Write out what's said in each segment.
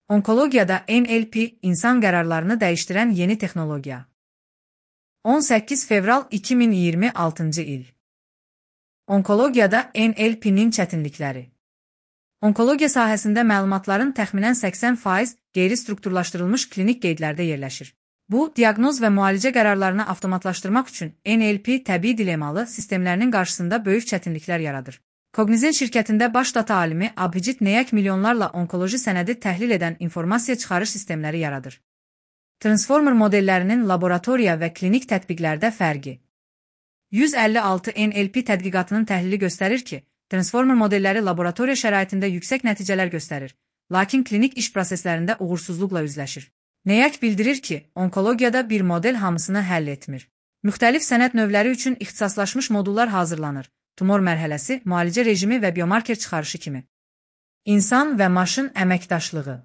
Onkologiyada NLP insan qərarlarını dəyişdirən yeni texnologiya. 18 fevral 2026 il. Onkologiyada NLP-nin çətinlikləri. Onkologiya sahəsində məlumatların təxminən 80% qeyri-strukturlaşdırılmış klinik qeydlərdə yerləşir. Bu, diaqnoz və müalicə qərarlarını avtomatlaşdırmaq üçün NLP təbii dilemalı sistemlərinin qarşısında böyük çətinliklər yaradır. Cognizant şirkətində baş data alimi Abhijit Nayak milyonlarla onkoloji sənədi təhlil edən informasiya çıxarış sistemləri yaradır. Transformer modellərinin laboratoriya və klinik tətbiqlərdə fərqi. 156 NLP tədqiqatının təhlili göstərir ki, transformer modelləri laboratoriya şəraitində yüksək nəticələr göstərir, lakin klinik iş proseslərində uğursuzluqla üzləşir. Nayak bildirir ki, onkologiyada bir model hamısını həll etmir. Müxtəlif sənəd növləri üçün ixtisaslaşmış modullar hazırlanır. Tumor mərhələsi, müalicə rejimi və biomarker çıxarışı kimi. İnsan və maşın əməkdaşlığı.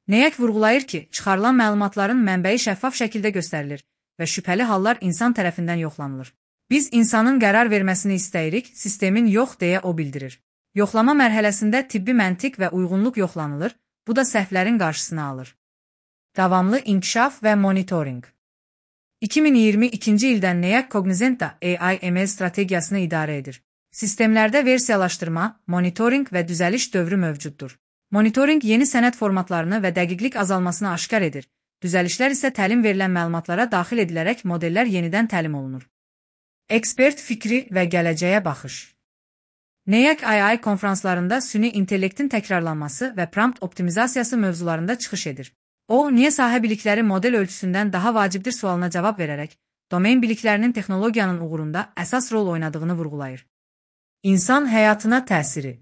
Nayak vurğulayır ki, çıxarılan məlumatların mənbəyi şəffaf şəkildə göstərilir və şübhəli hallar insan tərəfindən yoxlanılır. Biz insanın qərar verməsini istəyirik, sistemin yox deyə o bildirir. Yoxlama mərhələsində tibbi məntiq və uyğunluq yoxlanılır, bu da səhvlərin qarşısını alır. Davamlı inkişaf və monitoring. 2022-ci ildən Nayak Cognizant AI/ML strategiyasını idarə edir. Sistemlərdə versiyalaşdırma, monitoring və düzəliş dövrü mövcuddur. Monitoring yeni sənəd formatlarını və dəqiqlik azalmasını aşkar edir. Düzəlişlər isə təlim verilən məlumatlara daxil edilərək modellər yenidən təlim olunur. Ekspert fikri və gələcəyə baxış. Nayak AI konfranslarında süni intellektin təkrarlanması və prompt optimizasiyası mövzularında çıxış edir. O, niyə sahə bilikləri model ölçüsündən daha vacibdir sualına cavab verərək, domen biliklərinin texnologiyanın uğurunda əsas rol oynadığını vurğulayır. İnsan həyatına təsiri.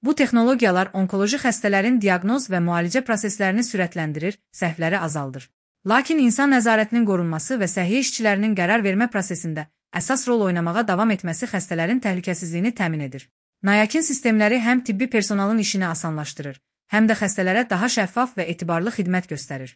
Bu texnologiyalar onkoloji xəstələrin diaqnoz və müalicə proseslərini sürətləndirir, səhvləri azaldır. Lakin insan nəzarətinin qorunması və səhiyyə işçilərinin qərar vermə prosesində əsas rol oynamağa davam etməsi xəstələrin təhlükəsizliyini təmin edir. Nayak'in sistemləri həm tibbi personalın işini asanlaşdırır, həm də xəstələrə daha şəffaf və etibarlı xidmət göstərir.